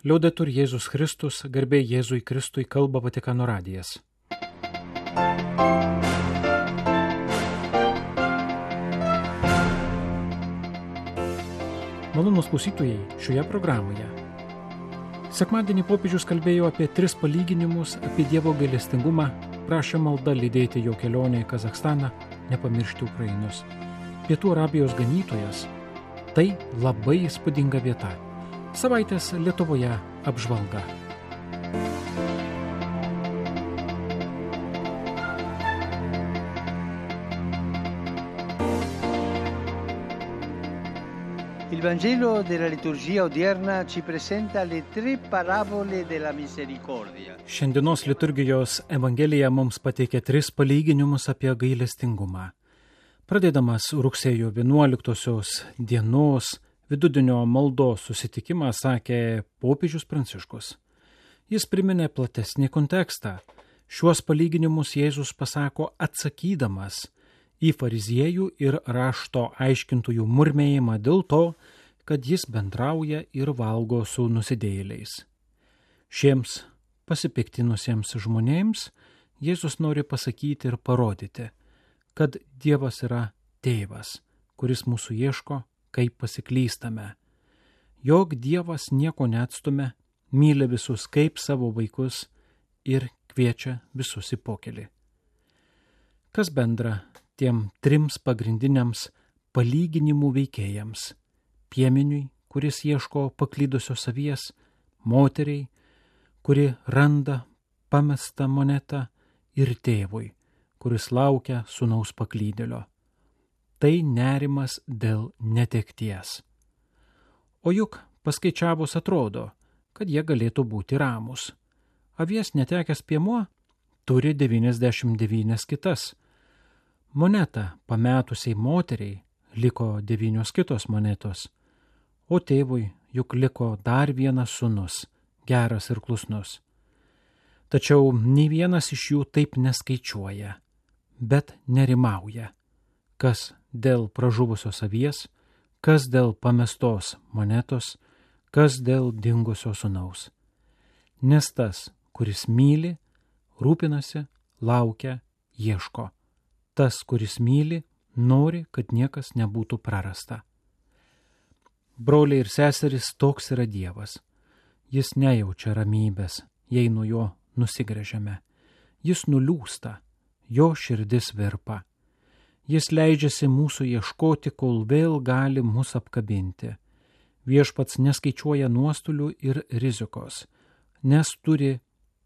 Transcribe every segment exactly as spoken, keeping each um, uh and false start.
Liaudetur Jėzus Kristus, garbė Jėzui Kristui, kalba Vatikano radijas. Malonūs klausytojai, šioje programoje. Sekmadienį popiežius kalbėjo apie tris palyginimus, apie Dievo gailestingumą, prašė malda lydėti jo kelionę į Kazachstaną, nepamiršti Ukrainos. Pietų Arabijos ganytojas – tai labai įspūdinga vieta. Savaitės Lietuvoje apžvalga. Il Vangelo della liturgia odierna ci presenta le tre parabole della misericordia. Šiandienos liturgijos Evangelija mums pateikia tris palyginimus apie gailestingumą. Pradėdamas rugsėjo vienuoliktosios dienos vidudienio maldos susitikimą sakė popiežius Pranciškus. Jis priminė platesnį kontekstą. Šiuos palyginimus Jėzus pasako atsakydamas į fariziejų ir rašto aiškintojų murmėjimą dėl to, kad jis bendrauja ir valgo su nusidėjėliais. Šiems pasipiktinusiems žmonėms Jėzus nori pasakyti ir parodyti, kad Dievas yra tėvas, kuris mūsų ieško, kaip pasiklystame. Jog Dievas nieko neatstumia, myli visus kaip savo vaikus ir kviečia visus į pokelį. Kas bendra tiem trims pagrindiniams palyginimų veikėjams? Piemeniui, kuris ieško paklydusios avies, moteriai, kuri randa pamestą monetą, ir tėvui, kuris laukia sūnaus paklydėlio. Tai nerimas dėl netekties. O juk paskaičiavus atrodo, kad jie galėtų būti ramūs. Avies netekęs piemuo turi devyniasdešimt devynias kitas. Monetą pametusiai moteriai liko devynios kitos monetos, o tėvui juk liko dar vienas sūnus, geras ir klusnus. Tačiau nei vienas iš jų taip neskaičiuoja, bet nerimauja. Kas dėl pražuvusios avies, kas dėl pamestos monetos, kas dėl dingusio sūnaus. Nes tas, kuris myli, rūpinasi, laukia, ieško. Tas, kuris myli, nori, kad niekas nebūtų prarasta. Broliai ir seserys, toks yra Dievas. Jis nejaučia ramybės, jei nuo jo nusigręžiame. Jis nuliūsta, jo širdis virpa. Jis leidžiasi mūsų ieškoti, kol vėl gali mus apkabinti. Viešpats neskaičiuoja nuostolių ir rizikos, nes turi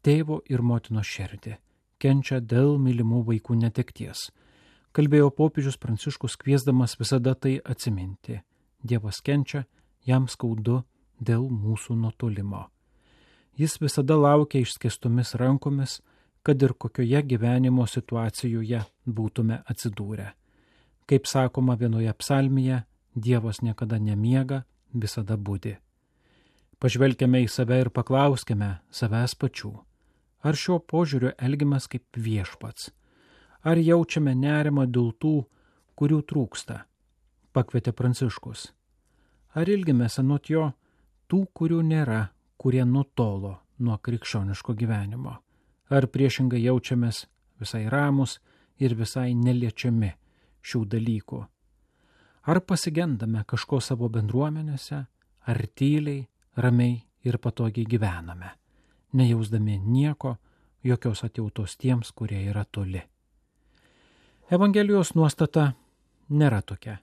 tėvo ir motinos širdį, kenčia dėl mylimų vaikų netekties. Kalbėjo popiežius Pranciškus, kviesdamas visada tai atsiminti. Dievas kenčia, jam skaudu dėl mūsų nutolimo. Jis visada laukia išskėstomis rankomis, kad ir kokioje gyvenimo situacijoje būtume atsidūrę. Kaip sakoma vienoje psalmėje, Dievas niekada nemiega, visada budi. Pažvelkime į save ir paklauskime savęs pačių. Ar šio požiūrio elgiamės kaip viešpats? Ar jaučiame nerimą dėl tų, kurių trūksta? Pakvietė Pranciškus. Ar ilgimės anot jo tų, kurių nėra, kurie nutolo nuo krikščioniško gyvenimo? Ar priešingai jaučiamės visai ramus ir visai neliečiami šių dalykų? Ar pasigendame kažko savo bendruomenėse, ar tyliai, ramiai ir patogiai gyvename, nejausdami nieko, jokios atjautos tiems, kurie yra toli? Evangelijos nuostata nėra tokia.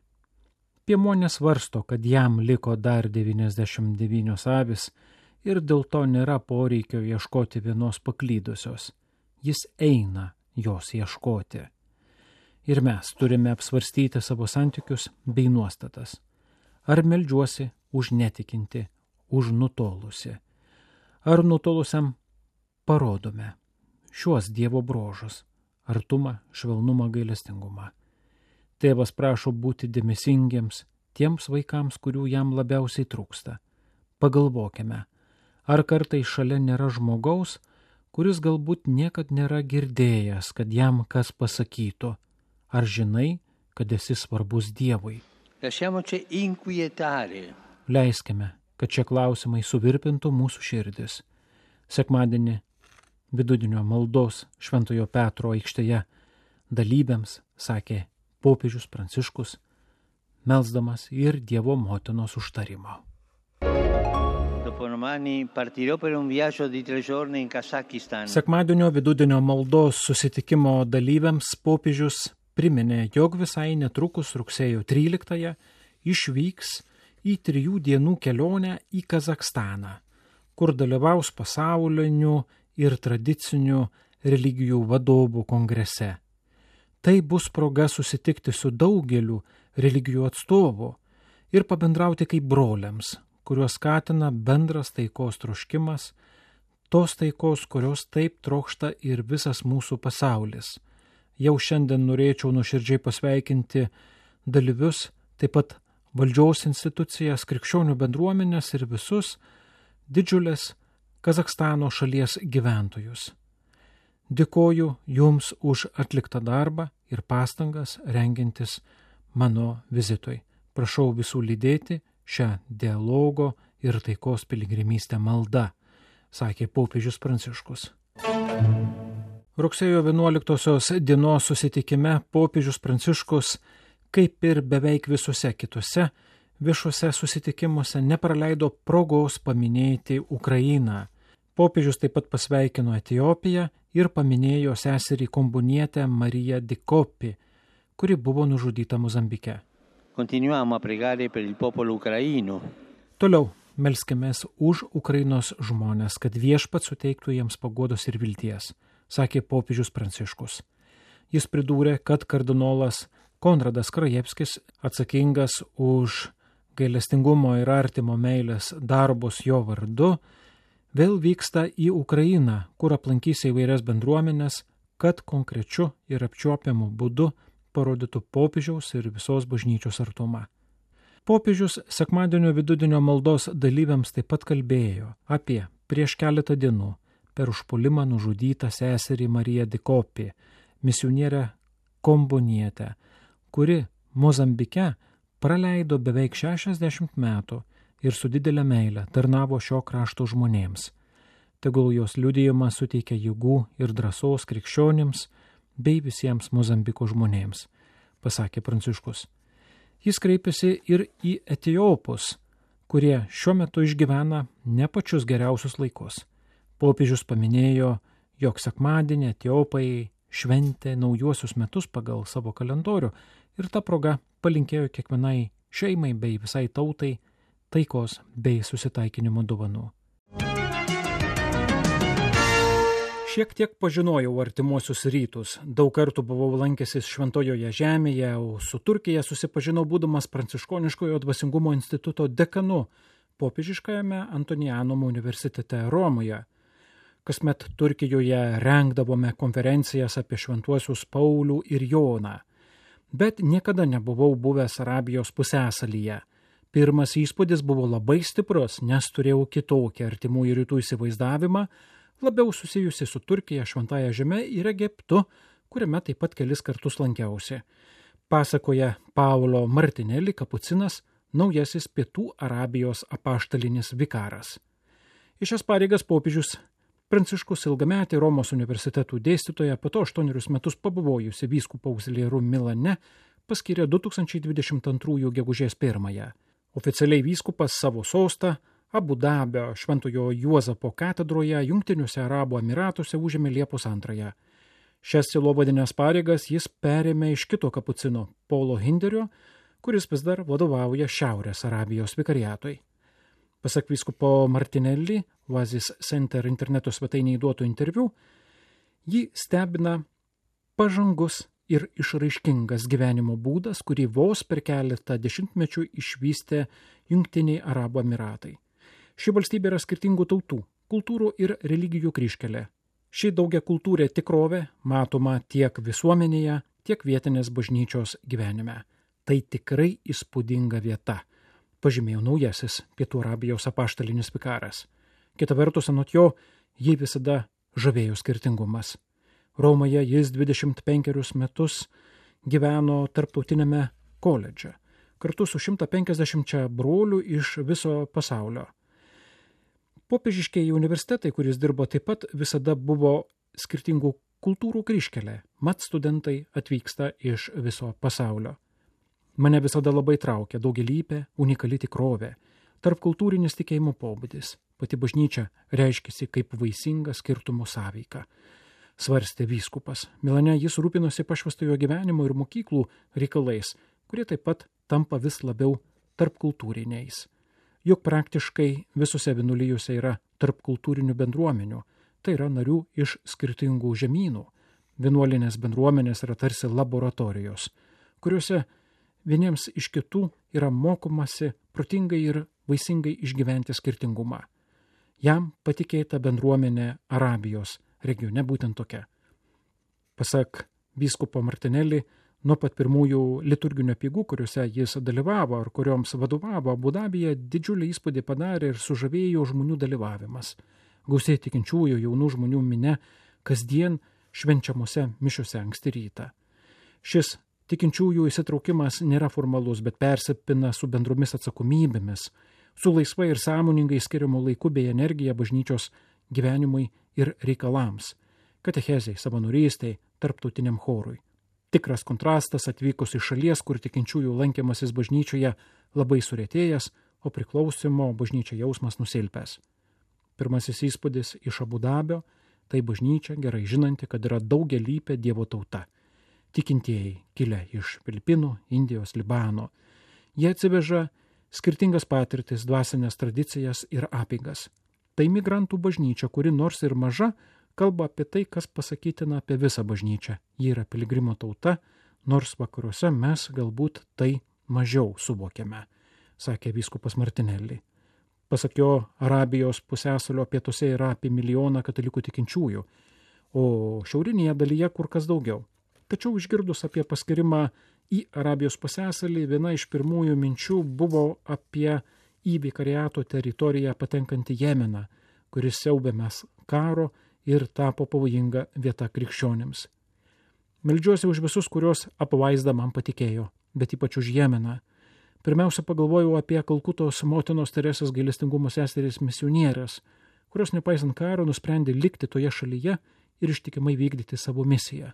Piemuo nesvarsto, kad jam liko dar devyniasdešimt devynios avis, ir dėl to nėra poreikio ieškoti vienos paklydusios. Jis eina jos ieškoti. Ir mes turime apsvarstyti savo santykius bei nuostatas. Ar meldžiuosi už netikinti, už nutolusi? Ar nutolusiam parodome šiuos Dievo bruožus – artumą, švelnumą, gailestingumą? Tėvas prašo būti dėmesingiems tiems vaikams, kurių jam labiausiai trūksta. Pagalvokime, ar kartais šalia nėra žmogaus, kuris galbūt niekad nėra girdėjęs, kad jam kas pasakytų, ar žinai, kad esi svarbus Dievui. Lasciamoci inquietare. Leiskime, kad šie klausimai suvirpintų mūsų širdis. Sekmadienį vidudienio maldos Šventojo Petro aikštėje dalyviams sakė popiežius Pranciškus, melsdamas ir Dievo motinos užtarimo. Sekmadienio vidudienio maldos susitikimo dalyviams popiežius priminė, jog visai netrukus rugsėjo tryliktąją išvyks į trijų dienų kelionę į Kazachstaną, kur dalyvaus pasaulinių ir tradicinių religijų vadovų kongrese. Tai bus proga susitikti su daugeliu religijų atstovų ir pabendrauti kaip broliams, kuriuos skatina bendras taikos troškimas, tos taikos, kurios taip trokšta ir visas mūsų pasaulis. Jau šiandien norėčiau nuoširdžiai pasveikinti dalyvius, taip pat valdžios institucijas, krikščionių bendruomenės ir visus didžiulės Kazachstano šalies gyventojus. Dėkoju Jums už atliktą darbą ir pastangas rengiantis mano vizitui. Prašau visų lydėti šią dialogo ir taikos piligrimystę maldą, sakė popiežius Pranciškus. Rugsėjo vienuoliktosios dienos susitikime popiežius Pranciškus, kaip ir beveik visuose kitose viešuose susitikimuose, nepraleido progos paminėti Ukrainą. Popiežius taip pat pasveikino Etiopiją ir paminėjo seserį kombonietę Mariją Dikopi, kuri buvo nužudyta Mozambike. Continuiamo a pregare per il popolo ucraino. Toliau melskimės už Ukrainos žmones, kad viešpats suteiktų jiems paguodos ir vilties, sakė popiežius Pranciškus. Jis pridūrė, kad kardinolas Konradas Krajevskis, atsakingas už gailestingumo ir artimo meilės darbus jo vardu, vėl vyksta į Ukrainą, kur aplankys įvairias bendruomenės, kad konkrečiu ir apčiuopiamu būdu parodytų popiežiaus ir visos bažnyčios artumą. Popiežius sekmadienio vidudienio maldos dalyviams taip pat kalbėjo apie prieš keletą dienų per užpuolimą nužudytą seserį Mariją Dikopi, misionierę kombonietę, kuri Mozambike praleido beveik šešiasdešimt metų ir su didelė meile tarnavo šio krašto žmonėms. Tegul jos liudijimas suteikia jėgų ir drąsos krikščionims bei visiems Mozambiko žmonėms, pasakė Pranciškus. Jis kreipėsi ir į etiopus, kurie šiuo metu išgyvena ne pačius geriausius laikus. Popiežius paminėjo, jog sekmadienį etiopai šventė naujuosius metus pagal savo kalendorių ir ta proga palinkėjo kiekvienai šeimai bei visai tautai taikos bei susitaikinimo dovanų. Šiek tiek pažinojau artimuosius rytus, daug kartų buvau lankęsis Šventojoje žemėje, o su Turkija susipažinau būdamas Pranciškoniškojo dvasingumo instituto dekanu popiežiškajame Antonianum universitete Romoje. Kasmet Turkijoje rengdavome konferencijas apie šventuosius Paulių ir Joną, bet niekada nebuvau buvęs Arabijos pusiasalyje. Pirmas įspūdis buvo labai stiprus, nes turėjau kitokį artimųjų rytų įsivaizdavimą, labiau susijusi su Turkija, Šventąja žeme ir Egiptu, kuriame taip pat kelis kartus lankiausi. Pasakoja Paulo Martinelli kapucinas, naujasis Pietų Arabijos apaštalinis vikaras. Į šias pareigas popiežius Pranciškus ilgametį Romos universitetų dėstytoją, po to aštuonerius metus pabuvojusi vyskupo augziliaru Milane, paskyrė du tūkstančiai dvidešimt antrųjų gegužės pirmąją. Oficialiai vyskupas savo sostą Abu Dabio Šventojo Juozapo katedroje Jungtiniuose Arabų Emyratuose užėmė Liepos antrąją. Šias sielovadines pareigas jis perėmė iš kito kapucino, Paulo Hinderio, kuris vis dar vadovauja Šiaurės Arabijos vikariatui. Pasak vyskupo Martinelli, Oasis Center interneto svetainėje duoto interviu, jį stebina pažangus ir išraiškingas gyvenimo būdas, kurį vos per keletą dešimtmečių išvystė Jungtiniai Arabų Emyratai. Ši valstybė yra skirtingų tautų, kultūrų ir religijų kryžkelė. Ši daugiakultūrė tikrovė matoma tiek visuomenėje, tiek vietinės bažnyčios gyvenime. Tai tikrai įspūdinga vieta, pažymėjo naujasis Pietų Arabijos apaštalinis vikaras. Kita vertus, anot jo, jį visada žavėjo skirtingumas. Romoje jis dvidešimt penkerius metus gyveno tarptautinėme koledže. kartu su šimta penkiasdešimčia brolių iš viso pasaulio. Popiežiškieji universitetai, kuris dirbo taip pat, visada buvo skirtingų kultūrų kryžkelė, mat studentai atvyksta iš viso pasaulio. Mane visada labai traukia daugialypė, unikali tikrovė, tarpkultūrinis tikėjimo pobūdis. Pati bažnyčia reiškėsi kaip vaisinga skirtumų sąveika. Svarstė vyskupas. Milane jis rūpinosi pašvęstojo gyvenimo ir mokyklų reikalais, kurie taip pat tampa vis labiau tarpkultūriniais. Juk praktiškai visose vienuolijose yra tarpkultūrinių bendruomenių, tai yra narių iš skirtingų žemynų. Vienuolinės bendruomenės yra tarsi laboratorijos, kuriuose vieniems iš kitų yra mokomasi protingai ir vaisingai išgyventi skirtingumą. Jam patikėta bendruomenė Arabijos regione būtent tokia. Pasak vyskupo Martinelli, nuo pat pirmųjų liturginių apeigų, kuriuose jis dalyvavo ar kurioms vadovavo Abu Dabyje, didžiulį įspūdį padarė ir sužavėjo žmonių dalyvavimas. Gausiai tikinčiųjų jaunų žmonių mine kasdien švenčiamuose mišiuose anksti rytą. Šis tikinčiųjų įsitraukimas nėra formalus, bet persipina su bendromis atsakomybėmis, su laisvai ir sąmoningai skiriamu laiku bei energija bažnyčios gyvenimui ir reikalams, katechezei, savanorystei, tarptautiniam chorui. Tikras kontrastas atvykus iš šalies, kur tikinčiųjų lankymasis bažnyčioje labai surėtėjęs, o priklausimo bažnyčia jausmas nusilpęs. Pirmasis įspūdis iš Abu Dabio – tai bažnyčia gerai žinanti, kad yra daugialypė Dievo tauta. Tikintieji kilę iš Filipinų, Indijos, Libano. Jie atsiveža skirtingas patirtis, dvasinės tradicijas ir apeigas. Tai migrantų bažnyčia, kuri nors ir maža, kalba apie tai, kas pasakytina apie visą bažnyčią. Ji yra piligrimo tauta, nors vakaruose mes galbūt tai mažiau suvokiame, sakė vyskupas Martinelli. Pasak jo, Arabijos pusiasalio pietuose yra apie milijoną katalikų tikinčiųjų, o šiaurinėje dalyje kur kas daugiau. Tačiau išgirdus apie paskirimą į Arabijos pusiasalį, viena iš pirmųjų minčių buvo apie į vikariato teritoriją patenkantį Jemeną, kuris siaubėmės karo ir tapo pavojinga vieta krikščionims. Meldžiuosi už visus, kurios apvaizdą man patikėjo, bet ypač už Jemeną. Pirmiausia, pagalvojau apie Kalkutos motinos Teresės gailestingumo seseris misionierės, kurios nepaisant karo nusprendė likti toje šalyje ir ištikimai vykdyti savo misiją.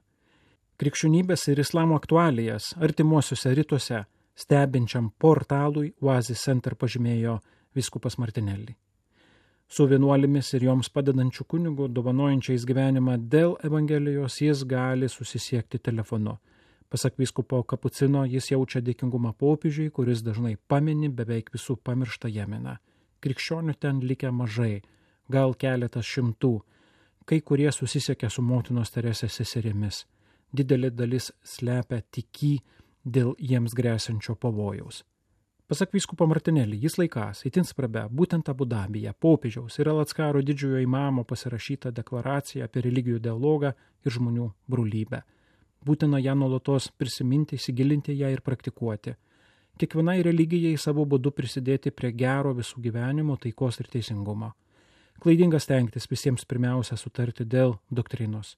Krikščionybės ir islamo aktualijas artimuosiuose rytuose stebinčiam portalui Oasis Center pažymėjo vyskupas Martinelli. Su vienuolimis ir joms padedančių kunigų, dovanojančiais gyvenimą dėl Evangelijos, jis gali susisiekti telefonu. Pasak vyskupo Kapucino, jis jaučia dėkingumą popiežiui, kuris dažnai pamini beveik visų pamirštą Jemeną. Krikščionių ten likę mažai, gal keletas šimtų, kai kurie susisiekia su motinos Teresės seserimis. Didelė dalis slepia tikį dėl jiems grėsiančio pavojaus. Pasak vyskupo Martinelli, jis laikas, itin svarbia, būtent Abu Dabyje, popiežiaus ir Alackaro didžiojo imamo pasirašyta deklaracija apie religijų dialogą ir žmonių brolybę. Būtina ją nuolatos prisiminti, įsigilinti ją ir praktikuoti. Kiekvienai religijai savo būdu prisidėti prie gero visų gyvenimo, taikos ir teisingumo. Klaidinga stengtis visiems pirmiausia sutarti dėl doktrinos.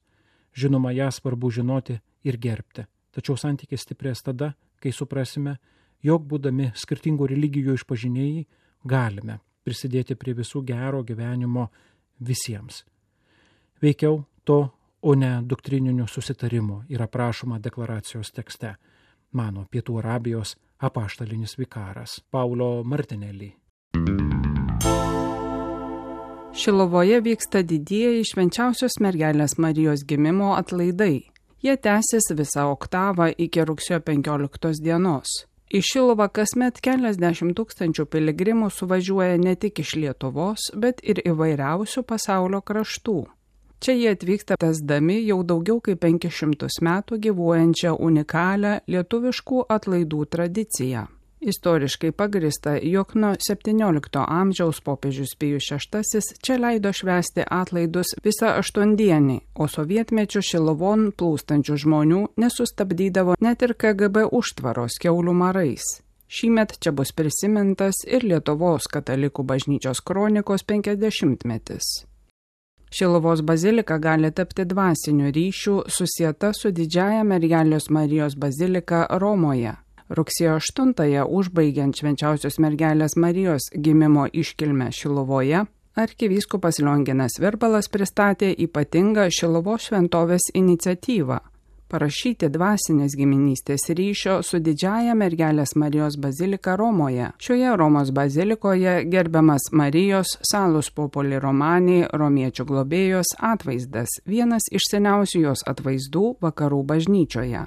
Žinoma, ją svarbu žinoti ir gerbti. Tačiau santykis stiprės tada, kai suprasime, jog būdami skirtingų religijų išpažinėjai galime prisidėti prie visų gero gyvenimo visiems. Veikiau to, o ne doktrininių susitarimų yra prašoma deklaracijos tekste, mano Pietų Arabijos apaštalinis vikaras Paulo Martinelli. Šiluvoje vyksta didieji švenčiausios mergelės Marijos gimimo atlaidai. Jie tęsis visą oktavą iki rugsėjo penkioliktos dienos. Į Šiluvą kasmet keliasdešimt tūkstančių piligrimų suvažiuoja ne tik iš Lietuvos, bet ir įvairiausių pasaulio kraštų. Čia jie atvyksta tęsdami jau daugiau kaip penkis šimtus metų gyvuojančią unikalią lietuviškų atlaidų tradiciją. Istoriškai pagrįsta, jog nuo septyniolikto amžiaus popiežius Pijus šeštasis čia leido švęsti atlaidus visą aštuondienį, o sovietmečiu Šiluvon plūstančių žmonių nesustabdydavo net ir K G B užtvaros kiaulių marais. Šįmet čia bus prisimintas ir Lietuvos katalikų bažnyčios kronikos penkiasdešimtmetis. Šiluvos bazilika gali tapti dvasiniu ryšiu susieta su didžiąja mergelės Marijos bazilika Romoje. Rugsėjo aštuntąją, užbaigiant Švenčiausios mergelės Marijos gimimo iškilmę Šiluvoje, arkivyskupas Lionginas Virbalas pristatė ypatingą Šiluvos šventovės iniciatyvą parašyti dvasinės giminystės ryšio su didžiąja mergelės Marijos bazilika Romoje. Šioje Romos bazilikoje gerbiamas Marijos Salus Populi Romani romiečių globėjos atvaizdas, vienas iš seniausių jos atvaizdų vakarų bažnyčioje.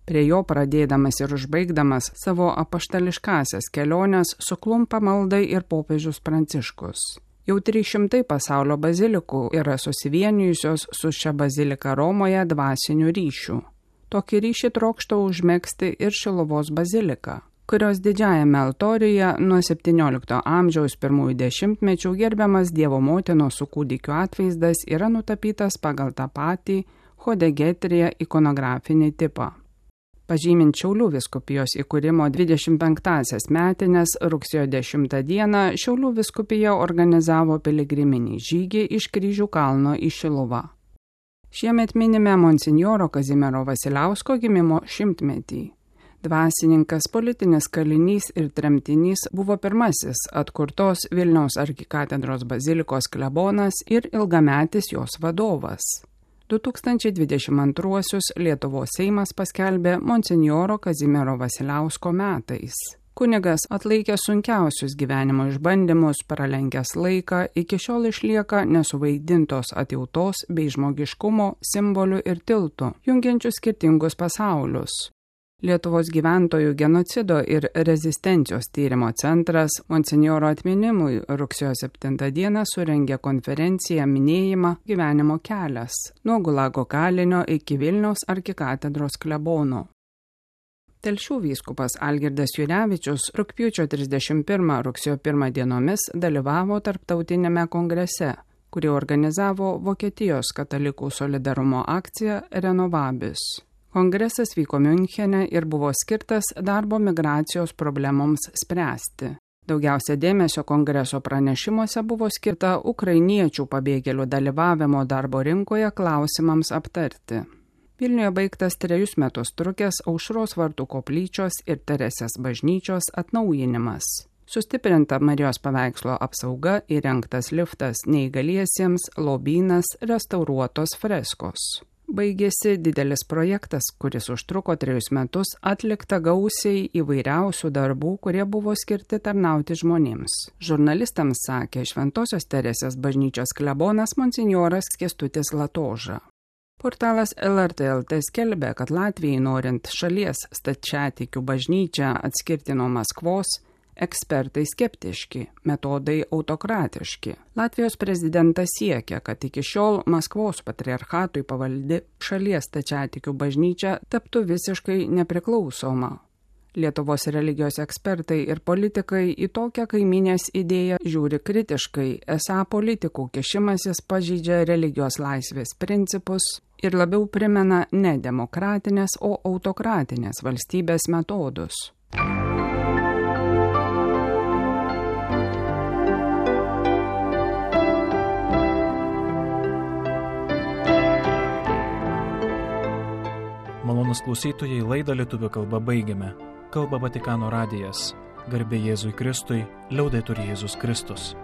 Prie jo pradėdamas ir užbaigdamas savo apaštališkasias keliones suklumpa maldai ir popiežius Pranciškus. Jau trys šimtai pasaulio bazilikų yra susivienijusios su šia bazilika Romoje dvasinių ryšių. Tokį ryšį trokšta užmegzti ir Šiluvos bazilika, kurios didžiajame altoriuje nuo septyniolikto amžiaus pirmųjų dešimtmečių gerbiamas Dievo motinos su kūdikiu atvaizdas yra nutapytas pagal tą patį hodegetrija ikonografinį tipą. Pažymint Šiaulių vyskupijos įkūrimo dvidešimt penktąsias metines, rugsėjo dešimtą dieną Šiaulių vyskupija organizavo piligriminį žygį iš Kryžių kalno į Šiluvą. Šiemet minime monsinjoro Kazimiero Vasiliausko gimimo šimtmetį. Dvasininkas, politinis kalinys ir tremtinys buvo pirmasis atkurtos Vilniaus arkikatedros bazilikos klebonas ir ilgametis jos vadovas. du tūkstančiai dvidešimt antruosius Lietuvos Seimas paskelbė monsinjoro Kazimiero Vasiliausko metais. Kunigas atlaikė sunkiausius gyvenimo išbandymus, pralenkęs laiką, iki šiol išlieka nesuvaidintos atjautos bei žmogiškumo simbolių ir tiltų, jungiančių skirtingus pasaulius. Lietuvos gyventojų genocido ir rezistencijos tyrimo centras monsinjoro atminimui rugsėjo septintą dieną surengė konferenciją minėjimą Gyvenimo kelias nuo Gulago kalinio iki Vilniaus arkikatedros klebono. Telšių vyskupas Algirdas Jurevičius rugpjūčio trisdešimt pirmą rugsėjo pirmą dienomis dalyvavo tarptautinėme kongrese, kurį organizavo Vokietijos katalikų solidarumo akcija Renovabis. Kongresas vyko Miunchene ir buvo skirtas darbo migracijos problemoms spręsti. Daugiausia dėmesio kongreso pranešimuose buvo skirta ukrainiečių pabėgėlių dalyvavimo darbo rinkoje klausimams aptarti. Vilniuje baigtas trejus metus trukęs Aušros vartų koplyčios ir Teresės bažnyčios atnaujinimas. Sustiprinta Marijos paveikslo apsauga, įrengtas liftas neįgaliesiems, lobynas, restauruotos freskos. Baigėsi didelis projektas, kuris užtruko trejus metus, atlikta gausiai įvairiausių darbų, kurie buvo skirti tarnauti žmonėms. Žurnalistams sakė Šventosios Teresės bažnyčios klebonas monsinjoras Kęstutis Latoža. Portalas L R T L T skelbė, kad Latvijai norint šalies stačiatikių bažnyčią atskirti nuo Maskvos, ekspertai skeptiški, metodai autokratiški. Latvijos prezidentas siekia, kad iki šiol Maskvos patriarchatui pavaldi šalies stačiatikių bažnyčia taptų visiškai nepriklausoma. Lietuvos religijos ekspertai ir politikai į tokią kaiminės idėją žiūri kritiškai, esą politikų kišimasis pažeidžia religijos laisvės principus ir labiau primena ne demokratinės, o autokratinės valstybės metodus. Malonūs klausytojai, laidą lietuvių kalba baigiame. Kalba Vatikano radijas. Garbė Jėzui Kristui, liaudetur Jėzus Kristus.